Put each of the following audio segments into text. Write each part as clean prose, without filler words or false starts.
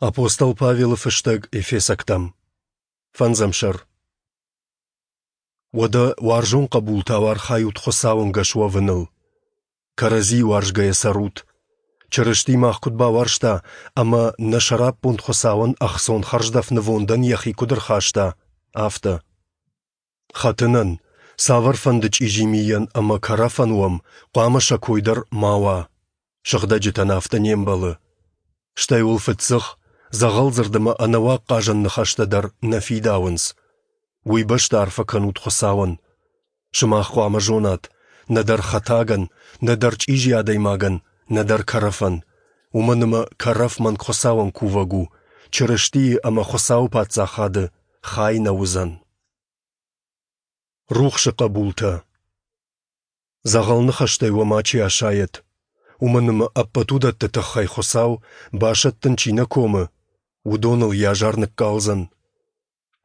Апостол Павелы фыстӕг Ефесӕгтӕм. Фӕндзӕм сӕр. Уӕдӕ уарзон хъӕбултау архайут Хуыцауы ӕнгӕс уӕвыныл. Кӕрӕдзийы уарзгӕйӕ цӕрут. Чырысти мах куыд бауарзта ӕмӕ нӕ сӕраппонд Хуыцауӕн ӕхцон хӕрздӕф нывондӕн йӕхи куыд ӕрхаста, афтӕ. Хӕтынӕн, цавӕрфӕнды чъизи мийӕн ӕмӕ кӕрӕфӕн уӕм, хъуамӕ сӕ кой дӕр ма уа. Сыгъдӕджытӕн афтӕ не мбӕлы. Стӕй уыл фыддзых, дзӕгъӕлдзырд ӕмӕ ӕнӕуаг хъазӕн ныхӕстӕ дӕр нӕ фидауынц. Уый бӕсты арфӕ кӕнут Хуыцауӕн. Сымах хъуамӕ зонат, нӕдӕр хӕтагӕн, нӕдӕр чъизи адӕймагӕн, нӕдӕр кӕрӕфӕн, уымӕн ӕмӕ кӕрӕф мӕнг Хуыцауӕн кувӕг у, Чырыстийы ӕмӕ Хуыцауы Паддзахады хай нӕ уыдзӕн. Рухсы хъӕбултӕ. Дзӕгъӕл ныхӕстӕй уӕ мачи асайӕд, уымӕн ӕмӕ ӕппӕт уыдӕтты тыххӕй Хуыцау, басӕттын чи нӕ комы, уыдоныл йӕ азар ныккалдзӕн.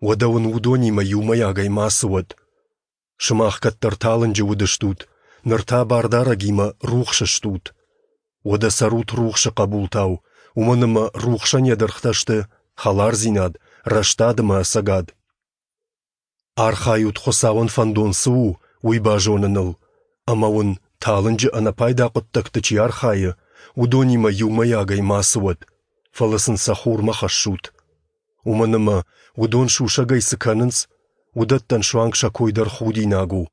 Уӕдӕ уын уыдонимӕ иумӕйагӕй мацы уӕд. Сымах кӕддӕр талынджы уыдыстут, ныр та Бардарӕгимӕ рухсы стут. Уӕдӕ цӕрут рухсы хъӕбултау, уымӕн ӕмӕ рухсӕн йӕ дыргътӕ сты хӕлардзинад, рӕстад ӕмӕ ӕцӕгад. Архайут, Хуыцауӕн фӕндон цы у, уый базоныныл, ӕмӕ уын, талынджы ӕнӕпайда хъуыддӕгты чи архайы, уыдонимӕ иумӕйагӕй мацы уӕд, фӕлӕ сын сӕ хурмӕ хӕссут. Уымӕн ӕмӕ уыдон сусӕгӕй цы кӕнынц, уыдӕттӕн суанг сӕ кой дӕр худинаг у.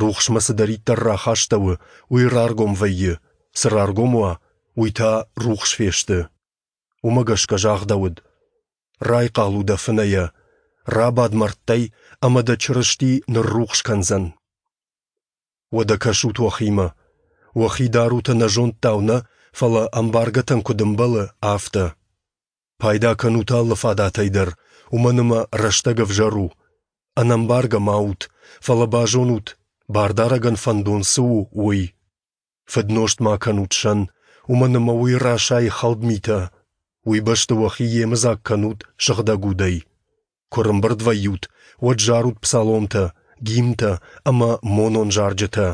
Рухсмӕ цыдӕриддӕр рахастӕуы, уый раргом вӕййы, цы раргом уа, уый та рухс фесты. Уымӕ гӕсгӕ загъдӕуыд: Райхъал у дӕ фынӕйӕ, рабад мӕрдтӕй, ӕмӕ дӕ Чырысти ныррухс кӕндзӕн. Уӕдӕ кӕсут уӕхимӕ. Уӕхи дарут ӕнӕзондтау нӕ, фӕлӕ ӕмбаргӕтӕн куыд ӕмбӕлы, афтӕ. Пайда кӕнут алы фадатӕй дӕр, уымӕн ӕмӕ рӕстӕг ӕвзӕр у. Ӕнӕмбаргӕ ма ут, фӕлӕ базонут, Бардарӕгӕн фӕндон цы у, уый. Фыднозт ма кӕнут сӕн, уымӕн ӕмӕ уый расайы хӕлд митӕ. Уый бӕсты уӕхи йемыдзаг кӕнут сыгъдӕг удӕй. Куы рымбырд вӕййут, уӕд зарут псаломтӕ, гимнтӕ ӕмӕ монон зарджытӕ.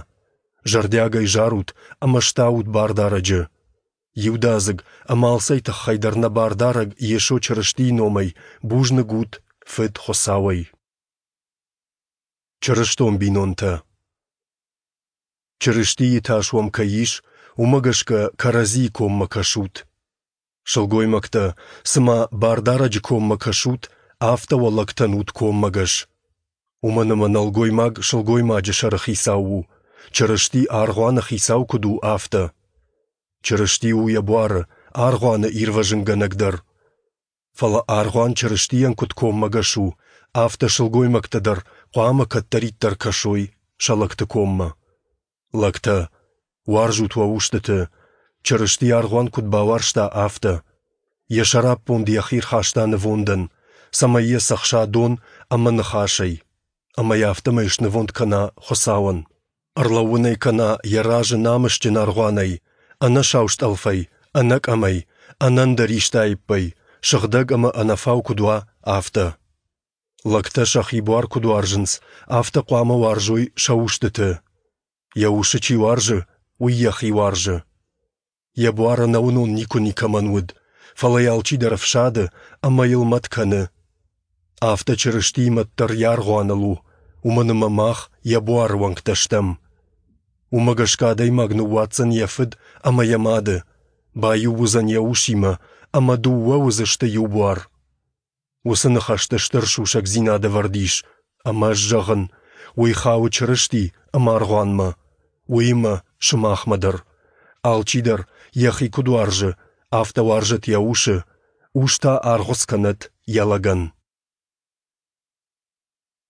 Зӕрдиагӕй зарут ӕмӕ стаут Бардарӕджы. Иудадзыг ӕмӕ алцӕй тыххӕй дӕр нӕ Бардарӕг Йесо Чырыстийы номӕй бузныг ут Фыд Хуыцауӕй. Чырыстон бинонтӕ. Чырыстийы тас уӕм кӕй ис, уымӕ гӕсгӕ кӕрӕдзийы коммӕ кӕсут. Сылгоймӕгтӕ, цыма Бардарӕджы коммӕ кӕсут, афтӕ уӕ лӕгтӕн ут коммӕгӕс. Уымӕн ӕмӕ нӕлгоймаг сылгоймаджы сӕрыхицау у, Чырысти аргъуаны хицау куыд у, афтӕ. Чырысти у йӕ буары, аргъуаны ирвӕзынгӕнӕг дӕр. Фӕлӕ аргъуан Чырыстийӕн куыд коммӕгӕс у, афтӕ сылгоймӕгтӕ дӕр хъуамӕ кӕддӕриддӕр кӕсой сӕ лӕгты коммӕ. Лӕгтӕ, уарзут уӕ устыты, Чырысти аргъуан куыд бауарзта, афтӕ. Йӕ сӕраппонд йӕхи рхаста нывондӕн, цӕмӕй йӕ цӕхса дон ӕмӕ ныхасӕй, ӕмӕ йӕ афтӕмӕй снывонд кӕна Хуыцауӕн. Ӕрлӕууын ӕй кӕна йӕ разы намысджын аргъуанӕй, ӕнӕсау стъӕлфӕй, ӕнӕкъӕмӕй, ӕнӕндӕр исты аиппӕй, сыгъдӕг ӕмӕ ӕнӕфау куыд уа, афтӕ. Лӕгтӕ сӕхи буар куыд уарзынц, афтӕ хъуамӕ уарзой сӕ устыты. Йӕ усы чи уарзы, уый йӕхи уарзы. Йӕ буар ӕнӕуынон никуы никӕмӕн уыд, фӕлӕ йӕ алчидӕр ӕфсады ӕмӕ йыл мӕт кӕны. Афтӕ Чырыстийы мӕт дӕр йӕ аргъуаныл у, уымӕн ӕмӕ мах йӕ буары уӕнгтӕ стӕм. Уымӕ гӕсгӕ адӕймаг ныууадздзӕн йӕ фыд ӕмӕ йӕ мады, баиу уыдзӕн йӕ усимӕ, ӕмӕ дыууӕ уыдзысты иу буар. Уыцы ныхӕсты стыр сусӕгдзинад ӕвӕрд ис, ӕмӕ ӕз зӕгъын, уый хауы Чырысти ӕмӕ аргъуанмӕ, уыимӕ сымахмӕ дӕр. Алчидӕр, йӕхи куыд уарзы, афтӕ уарзӕт йӕ усы, ус та аргъуыц кӕнӕд йӕ лӕгӕн.